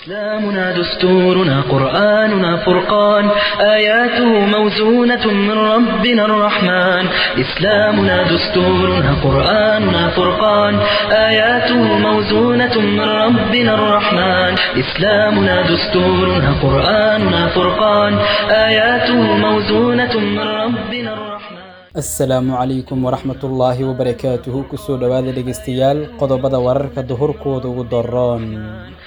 إسلامنا دستورنا قرآننا فرقان آياته موزونة من ربنا الرحمن إسلامنا دستورنا قرآننا فرقان آياته موزونة من ربنا الرحمن إسلامنا دستورنا قرآننا فرقان آياته موزونة من ربنا الرحمن. Asalaamu calaykum waraxmatullaahi wabarakaatuhu. Kusoo dhowaada dhegeystayaal qodobada wararka duhurkooda ugu daroon.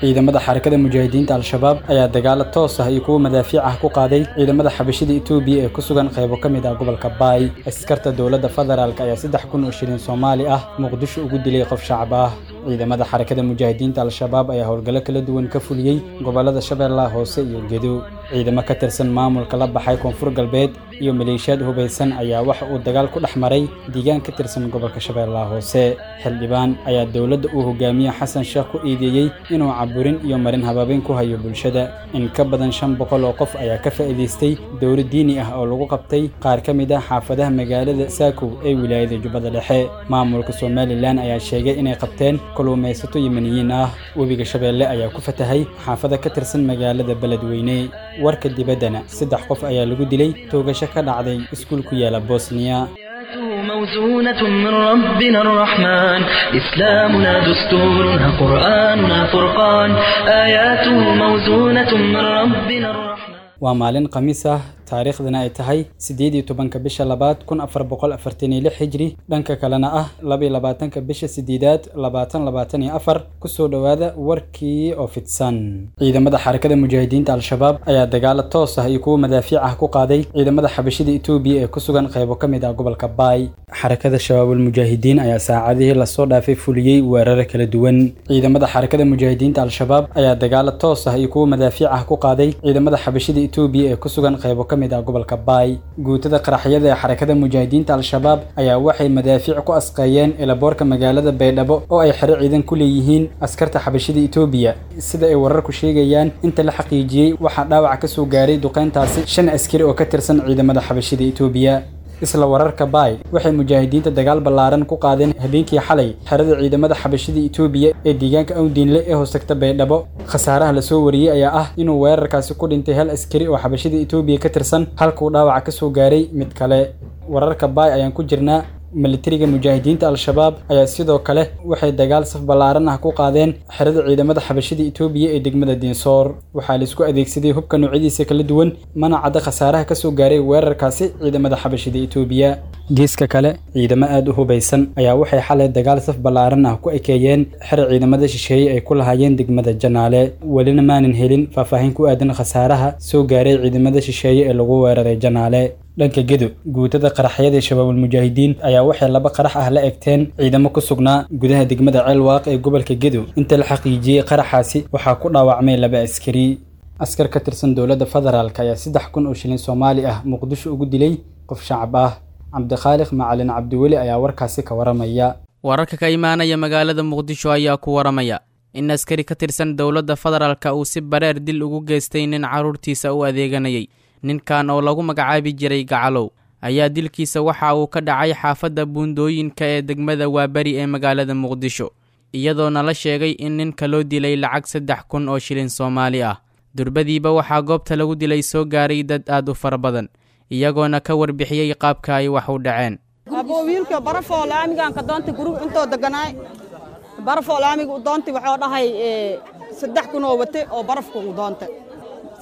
Ciidamada Xarakada Mujaahidiinta Al-Shabaab ayaa dagaalo toos ah iyo kuwa madaafiic ah ku qaaday ciidamada Xabashida Itoobiya ee ku sugan qaybo ka mid ah gobolka Baay. Askarta dowladda federaalk ayaa 3000 oo shilin Soomaali ah Muqdisho ugu dilay qof shacab ah. Ciidamada Xarakada Mujaahidiinta Al-Shabaab ayaa howlgallo kala duwan ka fuliyey gobolada Shabeellaha Hoose iyo Gedo. Ciidamo ka tirsan maamulka la baxay Koonfur Galbeed iyo maleeshiyaad hubaysan ayaa waxa uu dagaal ku dhex maray deegaan ka tirsan gobolka Shabeellaha Hoose. Xildhibaan ayaa dowladda uu hogaamiye Xasan Sheekh ku eedeeyey inuu caburin iyo marin habaabin ku hayo bulshada. In ka badan 500 oo qof ayaa ka faa'iidaystay dowlad diini ah oo lagu qabtay qaar ka mid ah xaafadaha magaalada Saakow ee wilaayada Jubbada Dhexe. Maamulka Somaliland ayaa sheegay inay qabteen kalluumaysato Yemeniyiin ah. Webiga Shabeelle ayaa ku fatahay xaafada ka tirsan magaalada Beledweyne. Warka dibaddana, 3 qof ayaa lagu dilay toogasho ka dhacday iskuul ku yaala Bosniya. موزونة من ربنا الرحمن إسلامنا دستورنا قرآننا فرقان آياته موزونة من ربنا الرحمن. Waa maalin Khamiis ah, taariikhdana ay tahay 18-ka bisha labaad 1446 hijri, dhanka kalena ah 22-ka bisha sideedaad 2024. Kusoo dhowaada warkii oo fidsan. Ciidamada Xarakada Mujaahidiinta Al-Shabaab ayaa dagaalo toos ah iyo kuwa madaafiic ah ku qaaday ciidamada Xabashida Itoobiya ee ku sugan qaybo ka mid ah gobolka Baay. Xarakada Shabaabul Mujaahidiin ayaa saacadihii lasoo dhaafay fuliyey weeraro kala duwan. Ciidamada Xarakada Mujaahidiinta Al-Shabaab ayaa dagaalo toos ah iyo kuwa madaafiic ah ku qaaday ciidamada Xabashida Itoobiya ee ku sugan qaybo ka mid ah gobolka Baay. Guutada qaraxyada ee Xarakada Mujaahidiinta Al-Shabaab ayaa waxay madaafiic ku asqeeyeen ilaboorka magaalada Baydhabo oo ay xero ciidan ku leeyihiin askarta Xabashida Itoobiya. Sida ay wararku sheegayaan, inta la xaqiijiyey waxaa dhaawac ka soo gaaray duqeyntaasi 5 askari oo ka tirsan ciidamada Xabashida Itoobiya. Isla wararka Baay, waxay mujaahidiinta dagaal ballaaran ku qaadeen habeenkii xalay xerada ciidamada Xabashida Itoobiya ee deegaanka Awdiinle ee hoostagta Baydhabo. Khasaaraha la soo wariyey ayaa ah inuu weerarkaasi ku dhintay hal askari oo Xabashida Itoobiya ka tirsan, halkuu dhaawaca ka soo gaaray mid kale. Wararka Baay ayaan ku jirnaa. Militariga Mujaahidiinta Al-Shabaab ayaa sidoo kale waxay dagaal saf ballaaran ah ku qaadeen xerada ciidamada Xabashida Itoobiya ee degmada Diinsoor. Waxaa la isku adeegsaday hubka noocyadiisa kala duwan, mana cadda khasaaraha ka soo gaaray weerarkaasi ciidamada Xabashida Itoobiya. Geeska kale, ciidamo aad u hubaysan ayaa waxay xalay dagaal saf ballaaran ah ku ekeeyeen xero ciidamada shisheeye ay ku lahaayeen degmada Janaale. Welina maanan helin faahfaahin ku aadan khasaaraha soo gaaray ciidamada shisheeye ee lagu weeraray Janaale. Dhanka Gedo, guutada qaraxyada Shabaabul Mujaahidiin ayaa waxay 2 qarax ah la egteen ciidamo ku sugnaa gudaha degmada Ceelwaaq ee gobolka Gedo. Inta la xaqiijiyey qaraxaasi waxaa ku dhaawacmay 2 askari. Askar ka tirsan dowladda federaalk ayaa 3000 oo shilin Soomaali ah Muqdisho ugu dilay qof shacab ah. Cabdikhaaliq Macalin Cabdiweli ayaa warkaasi ka waramaya. Wararka ka imaanaya magaalada Muqdisho ayaa ku waramaya in askari ka tirsan dowladda federaalka uu si bareer dil ugu geystay nin carruurtiisa u adeeganayay. Ninkan oo lagu magacaabi jiray Gacalow ayaa dilkiisa waxa uu ka dhacay xaafadda Buundooyinka ee degmada Waaberi ee magaalada Muqdisho, iyadoona la sheegay in ninka loo dilay lacag 3000 oo shilin Soomaali ah. Durbadiiba waxaa goobta lagu dilay soo gaaray dad aad u fara badan, iyagoona ka warbixiyey qaabka ay wax u dhaceen. Aboo wiilka barafoo laamigaan ka doontay guriga intoo deganaay, barafoo laamiga u doontay waxuu dhahay 3000 oo wate oo barafka u doontay.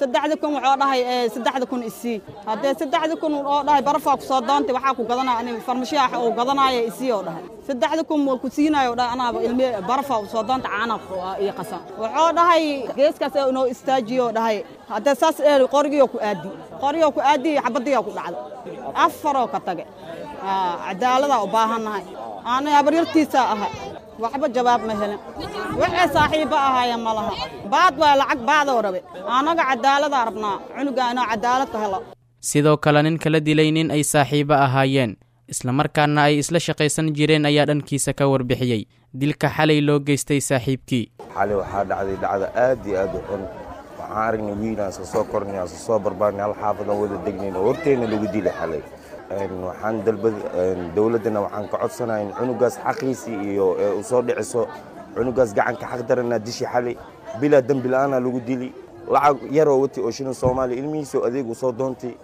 3000 wuxuu dhahay 3000 isii. Haddee 3000 oo dhahay barafaa ku soo doontay, waxaa ku gadanaya ani farmashiyaha oo gadanaya isii oo dhahay 3000 waa ku siinayo dhahay, anaaba ilmi barafaa u soo doontay caana iyo qasan. Wuxuu dhahay geeskaas inoo istaajiyo dhahay, haddee saas qorigii ku aadi, qorigii ku aadi, xabadii ku dhacday, 4 oo ka tagay. Cadaalada u baahannahay, ana habaryartiisa ahay, waxba jawaab ma helin. Waxay saaxiibba ahaayeen ma laha, baad waa lacag baadoo rabe. Annaga cadaaladaa rabnaa, cunuga inoo cadaalad ka helo. Sidoo kale ninka la dilay nin ay saaxiibo ahaayeen islamarkaana ay isla shaqaysan jireen ayaa dhankiisa ka warbixiyey dilka xalay loo geystay saaxiibkii. Xalay waxaa dhacday dhacda aad iyo aad u xun. Waxaan aragnay wiilaan iska soo kornay, aan iska soo barbaarnay, hal xaafadan wada degnayn oo horteenna lagu dilay xalay. Waxaan dalbad dowladdana waxaan ka codsanayaa in cunugaas xaqiisii iyo u soo dhiciso. Cunugaas gacanka xaq daranaa dishi xalay. Bilaa dembi la'aana lagu dili. Lacag yaroo watay oo shilin Soomaaliya ilmihiisoo adeegu soo doontay.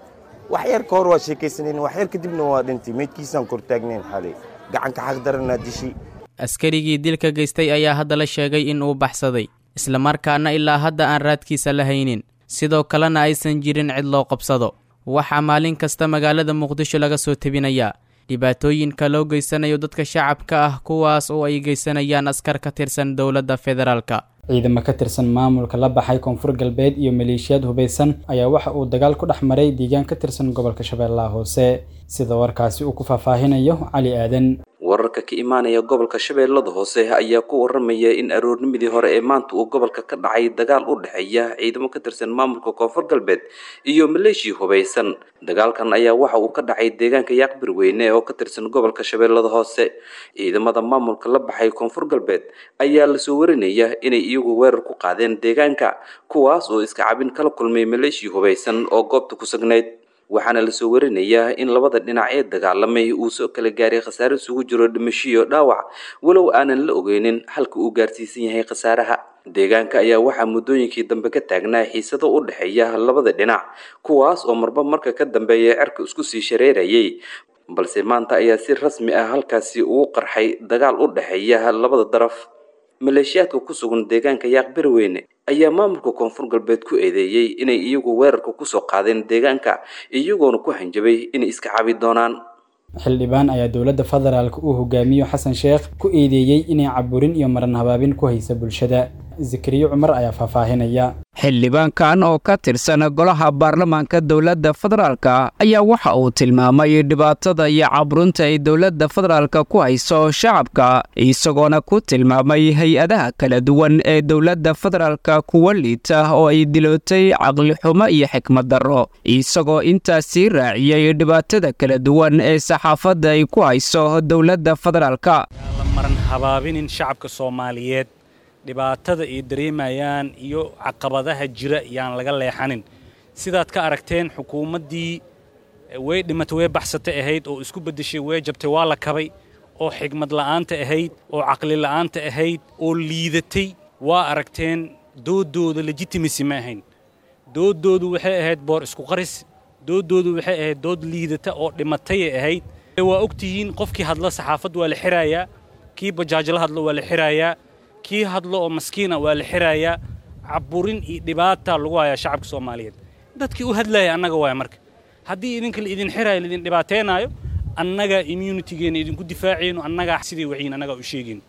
Wax yar ka hor waa sheekaysanayn, wax yar kadibna waa dhintay. Meydkiisaan kor taagnayn xalay. Gacanka xaq daranaa dishi. Askarigii dilka geystay ayaa hadda la sheegay in uu baxsaday, islamarkaana ilaa hadda aan raadkiisa la haynin, sidoo kalena aysan jirin cid loo qabsado. Waxaa maalin kasta magaalada Muqdisho laga soo tebinayaa dhibaatooyinka loo geysanayo dadka shacabka ah, kuwaas oo ay geysanayaan askar ka tirsan dowladda federaalka. Ciidamo ka tirsan maamulka la baxay Koonfur Galbeed iyo maleeshiyaad hubeysan ayaa waxa uu dagaal ku dhex maray deegaan ka tirsan gobolka Shabeellaha Hoose, sida warkaasi uu ku faahfaahinayo Cali Aadan. Wararka ka imaanaya gobolka Shabeellada Hoose ayaa ku waramaya in aroornimadii hore ee maanta uu gobolka ka dhacay dagaal u dhexeeya ciidamo ka tirsan maamulka Koonfur Galbeed iyo maleeshiya hubeysan. Dagaalkan ayaa waxa uu ka dhacay deegaanka Yaaqbirweyne oo ka tirsan gobolka Shabeellada Hoose. Ciidamada maamulka la baxay Koonfur Galbeed ayaa lasoo warinaya inay iyagu weerar ku qaadeen deegaanka, kuwaas oo iska cabin kala kulmay maleeshiya hubeysan oo goobta ku sugnayd. Waxaana lasoo warinayaa in labada dhinac ee dagaalamay uu soo kala gaaray khasaare isugu jiro dhimasho iyo dhaawac, walow aanan la ogeynin halka uu gaarsiisan yahay khasaaraha. Deegaanka ayaa waxaa muddooyinkii dambe ka taagnaa xiisado u dhexeeya labada dhinac, kuwaas oo marba marka ka dambeeya cerka isku sii shareerayay, balse maanta ayaa si rasmi ah halkaasi ugu qarxay dagaal u dhexeeya labada daraf. Maleeshiyaadka ku sugan deegaanka Yaaqbirweyne ayaa maamulka Koonfur Galbeed ku eedeeyey inay iyagu weerarka kusoo qaadeen deegaanka, iyagoona ku hanjabay inay iska cabi doonaan. Xildhibaan ayaa dowladda federaalka uu hogaamiyo Xasan Sheekh ku eedeeyey inay caburin iyo maran habaabin ku haysa bulshada. Zakariyo Cumar ayaa faahfaahinaya. Xildhibaankan oo ka tirsan golaha baarlamaanka dowladda federaalka ayaa waxa uu tilmaamay dhibaatada iyo cabrunta ay dowladda federaalka ku hayso shacabka, isagoona ku tilmaamay hay-adaha kala duwan ee dowladda federaalka kuwa liita oo ay dilootay caqlixumo iyo xikmad darro, isagoo intaasii raaciyey dhibaatada kala duwan ee saxaafadda ay ku hayso dowladda federaalka. Maran habaabinin shacabka Soomaaliyeed dhibaatada ay dareemayaan iyo caqabadaha jira yaan laga leexanin. Sidaad ka aragteen, xukuumaddii way dhimatay, way baxsatay ahayd oo isku beddeshay, way jabtay, waa la kabay, oo xigmad la'aanta ahayd oo caqli la'aanta ahayd oo liidatay waa aragteen. Doodooda legitimacy ma ahayn, doodoodu waxay ahayd boor isku qaris, doodoodu waxay ahayd dood liidata oo dhimatayay ahayd. Waa ogtihiin, qofkii hadla saxaafad waa la xirayaa, kii bajaajla hadlo waa la xirayaa, kii hadlo oo maskiina waa la xirayaa. Caburin iyo dhibaata lagu hayaa shacabka Soomaaliyeed. Dadkii u hadlaya annaga waaya. Marka haddii idinka la idin xiraayo, laidin dhibaateenaayo, annagaa immunitygeena idinku difaacayno, annagaa sidii waxiin annagaa u sheegayno.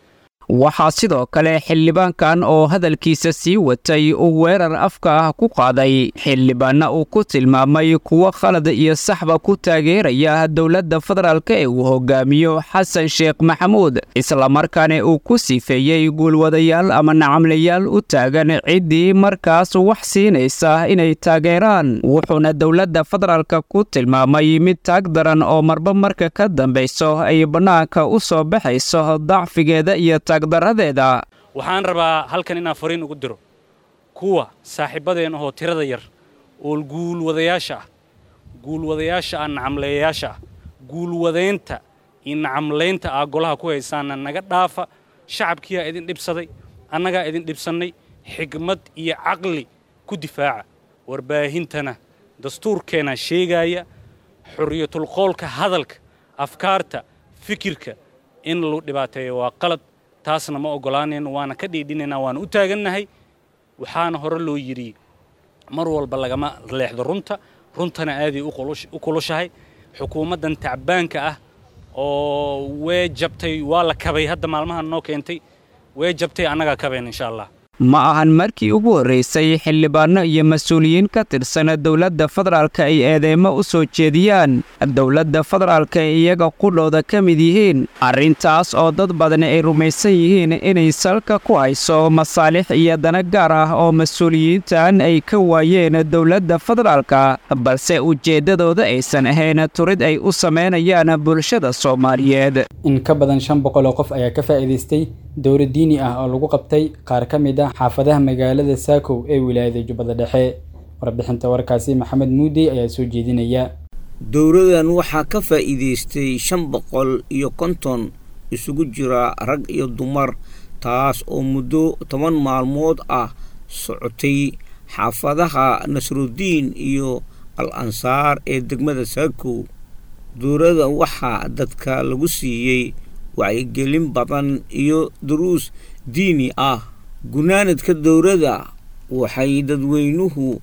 Waxaa sidoo kale xildhibaankan oo hadalkiisa sii watay uu weerar afka ah ku qaaday xildhibaanna uu ku tilmaamay kuwo khalad iyo saxba ku taageeraya dowladda federaalka ee uu hogaamiyo Xasan Sheekh Maxamuud, islamarkaana uu ku sifeeyey guulwadayaal ama nacamlayaal u taagan ciddii markaas wax siinaysa inay taageeraan. Wuxuuna dowladda federaalka ku tilmaamay mid taag daran oo marba marka ka dambayso ay bannaanka u soo baxayso dacfigeeda iyo Waxaan rabaa halkan inaan fariin ugu diro kuwa saaxiibbadeen ahoo tirada yar oo guulwadayaasha ah, guulwadayaasha ah, nacamleeyayaasha ah, guulwadaynta iyo nacamlaynta ah golaha ku haysaana naga dhaafa. Shacabkiyaa idin dhibsaday, annagaa idin dhibsannay. Xigmad iyo caqli ku difaaca warbaahintana. Dastuurkeenaa sheegaaya xorriyatulqoolka, hadalka, afkaarta, fikirka in lagu dhibaateeyo waa qalad. Taasna ma oggolaanayno, waana ka dhiidhinaynaa, waana u taagannahay. Waxaana hore loo yidhi, mar walba lagama leexdo runta, runtana aaday u kulushahay. Xukuumaddan tacbaanka ah oo way jabtay, waa la kabay, hadda maalmahan noo keentay, way jabtay, annagaa kabayn insha Allah. Ma ahan markii ugu horraysay xildhibaano iyo mas-uuliyiin ka tirsan dowladda federaalka ay eedeymo u soo jeediyaan dowladda federaalka ay iyaga qudhooda ka mid yihiin, arrintaas oo dad badan ay rumaysan yihiin inay salka ku hayso masaalix iyo dana gaar ah oo mas-uuliyiintan ay ka waayeen dowladda federaalka, balse ujeeddadooda aysan ahayn turid ay u samaynayaan bulshada Soomaaliyeed. In ka badan 500 oo qof ayaa ka faa'iidaystay dowro diini ah oo lagu qabtay qaar ka mid ah xaafadaha magaalada Saakow ee wilaayada Jubbada Dhexe. Warbixinta warkaasi Maxamed Muudey ayaa soo jeedinaya. Dowradan waxaa ka faa'iidaystay 550 isugu jira rag iyo dumar, taas oo muddo 10 maalmood ah socotay xaafadaha Nasrudiin iyo Al Ansaar ee degmada Saakow. Dowrada waxaa dadka lagu siiyey wacyigelin badan iyo duruus diini ah. Gunaanadka dowrada waxay dadweynuhu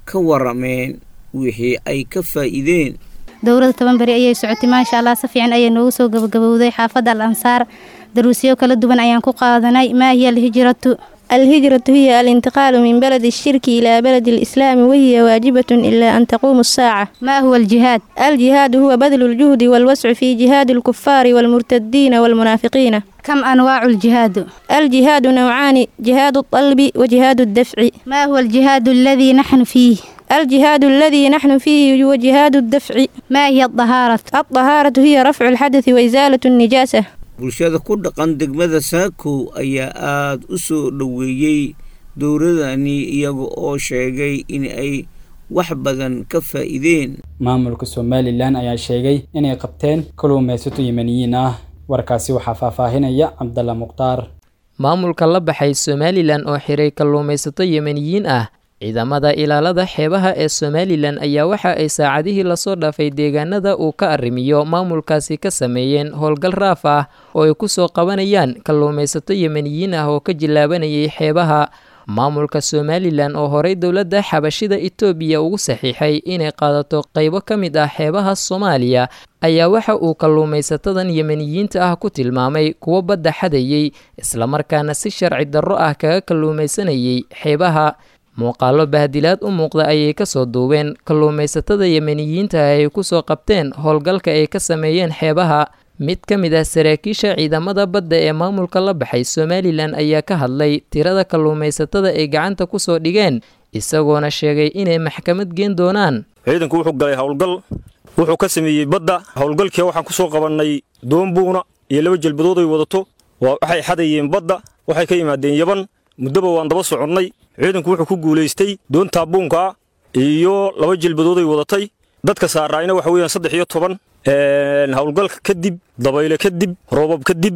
ka warameen wixii ay ka faa'iideen. Dowrada 10 beri ayay socotay, maasha Allah, si fiican ayay noogu soo gabagabowday. Xaafadda Al Ansaar daruusyo kala duwan ayaan ku qaadanay. Maa hiya alhijratu? الهجرة هي الانتقال من بلد الشرك إلى بلد الإسلام، وهي واجبة إلا أن تقوم الساعة. ما هو الجهاد؟ الجهاد هو بذل الجهد والوسع في جهاد الكفار والمرتدين والمنافقين. كم أنواع الجهاد؟ الجهاد نوعان: جهاد الطلب وجهاد الدفع. ما هو الجهاد الذي نحن فيه؟ الجهاد الذي نحن فيه هو جهاد الدفع. ما هي الطهارة؟ الطهارة هي رفع الحدث وإزالة النجاسة. Bulshada ku dhaqan degmada Saakow ayaa aada u soo dhoweeyey dowradani, iyaga oo sheegay in ay wax badan ka faa'iideen. Maamulka Somalilan ayaa sheegay inay qabteen kalluumaysato Yemeniyiin ah. Warkaasi waxaa faahfaahinaya Cabdalla Mukhtaar. Maamulka la baxay Somalilan oo xiray kalluumaysato Yemeniyiin ah. Ciidamada ilaalada xeebaha ee Somalilan ayaa waxa ay saacadihii lasoo dhaafay deegaanada uu ka arrimiyo maamulkaasi ka sameeyeen howlgal raaf ah oo ay ku soo qabanayaan kalluumaysato Yemeniyiin ah oo ka jilaabanayay xeebaha. Maamulka Somalilan oo horey dowladda xabashida Itoobiya ugu saxiixay inay qaadato qaybo ka mid ah xeebaha Soomaaliya ayaa waxa uu kalluumaysatadan Yemeniyiinta ah ku tilmaamay kuwo badda xadayay, islamarkaana si sharci darro ah kaga kalluumaysanayay xeebaha. Muuqaallo bahdilaad u muuqda ayay kasoo duubeen kalluumaysatada Yemeniyiinta ay kusoo qabteen howlgalka ay ka sameeyeen xeebaha. Mid ka mid ah saraakiisha ciidamada badda ee maamulka la baxay Somalilan ayaa ka hadlay tirada kalluumaysatada ay gacanta kusoo dhigeen, isagoona sheegay inay maxkamad geen doonaan. Ciidanku wuxuu galay howlgal, wuxuu ka sameeyey badda. Howlgalkii waxaan kusoo qabannay doonbuuna iyo 2 jalbadood ay wadato. Waxay xadayeen badda, waxay ka yimaadeen Yaban. Muddoba waan daba soconnay. Ciidanku wuxuu ku guulaystay doontaa buunkaa iyo 2 jilbadood ay wadatay. Dadka saaraayna waxa weeyaan 13. Howlgalka kadib, dabayle kadib, roobab kadib,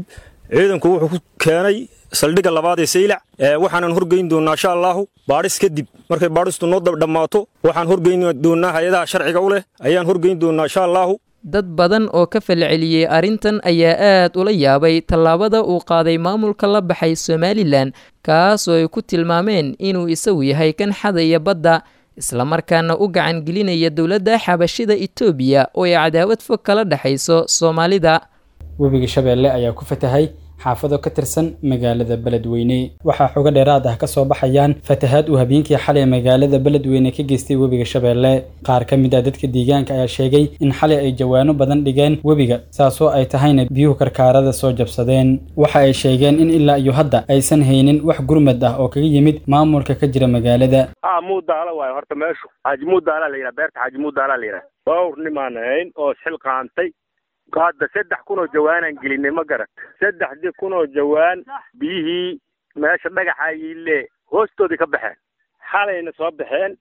ciidanku wuxuu ku keenay saldhigga labaad ee Saylac. Waxaanan horgeyn doonaa insha Allahu baadhis kadib. Markay baadhistu noo dhammaato, waxaan horgeyn doonaa hay-adaha sharciga u leh ayaan horgeyn doonaa insha Allahu. Dad badan oo ka falceliyey arrintan ayaa aad ula yaabay tallaabada uu qaaday maamulka la baxay Somalilan, kaas oo ay ku tilmaameen inuu isagu yahay kan xadaya badda, islamarkaana u gacan gelinaya dowladda xabashida Itoobiya oo ay cadaawad fog kala dhexayso Soomaalida. Webiga Shabeelle ayaa ku fatahay xaafado ka tirsan magaalada Beledweyne. Waxaa xogo dheeraad ah ka soo baxayaan fatahaad uu habeenkii xalay magaalada Beledweyne ka geystay webiga Shabeelle. Qaar ka mid ah dadka deegaanka ayaa sheegay in xalay ay jawaano badan dhigeen webiga, saasoo ay tahayna biyuhu karkaarada soo jabsadeen. Waxa ay sheegeen in ilaa iyo hadda aysan haynin wax gurmad ah oo kaga yimid maamulka ka jira magaalada. Muudaala waayo horta meeshu Xaaji Muudaala la yidhaha, beerta Xaaji Muudaala la yidhaha. Dhowr nimaan ahayn oo xil qaantay. Hadda 3000 oo jawaanaan gelinay, ma garat. 3000 oo jawaan biyihii meesha dhagaxa yiile hoostoodii ka baxeen, xalayna soo baxeen,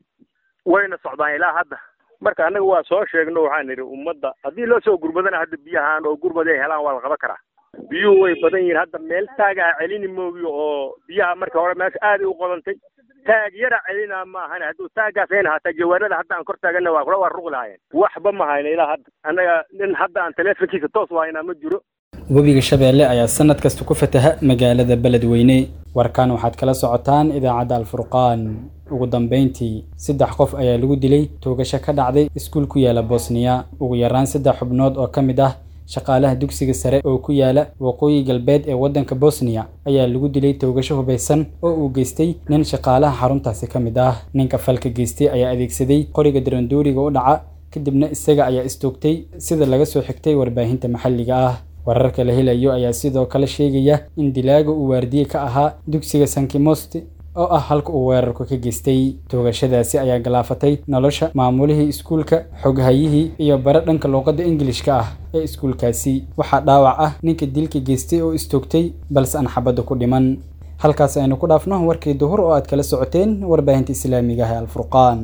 wayna socdaan ilaa hadda. Marka annaga waa soo sheegno, waxaan nidhi ummadda haddii loo soo gurmadana hadda biyahaan oo gurmad ay helaan waa la qaban karaa. Biyuhu way badan yihiin hadda, meel taagaa celini moogiyo oo biyaha marka hore meesha aaday u qodantay, taag yara celinaa ma ahane. Hadduu taaggaas ayn haataa jawaanada hadda aan kor taaganna waa kula waa ruqi lahaayeen. Waxba ma hayna ilaa hadda annaga, nin hadda aan taleefonkiisa toos wahaynaa ma jiro. Webiga Shabeelle ayaa sanad kasta ku fataha magaalada Beledweyne. Warkan waxaad kala socotaan idaacadda Alfurqaan. Ugu dambeyntii, 3 qof ayaa lagu dilay toogasho ka dhacday iskuul ku yaala Bosniya. Ugu yaraan 3 xubnood oo ka mid ah shaqaalaha dugsiga sare oo ku yaala waqooyi galbeed ee waddanka Bosniya ayaa lagu dilay toogasho hubaysan oo uu geystay nin shaqaalaha xaruntaasi ka mid ah. Ninka falka geystay ayaa adeegsaday qoriga darandooriga u dhaca, kadibna isaga ayaa istoogtay, sida laga soo xigtay warbaahinta maxalliga ah. Wararka la helayo ayaa sidoo kale sheegaya in dilaaga uu waardiye ka ahaa dugsiga Sankimosti oo ah halka uu weerarku ka geystay. Toogashadaasi ayaa galaafatay nolosha maamulihii iskuulka, xoghayihii iyo bare dhanka luuqadda Ingiliishka ah ee iskuulkaasi. Waxaa dhaawac ah ninka dilka geystay oo istoogtay, balse aan xabadda ku dhiman. Halkaas aynu ku dhaafno warkii duhur oo aad kala socoteen warbaahinta islaamiga ah ee Alfurqaan.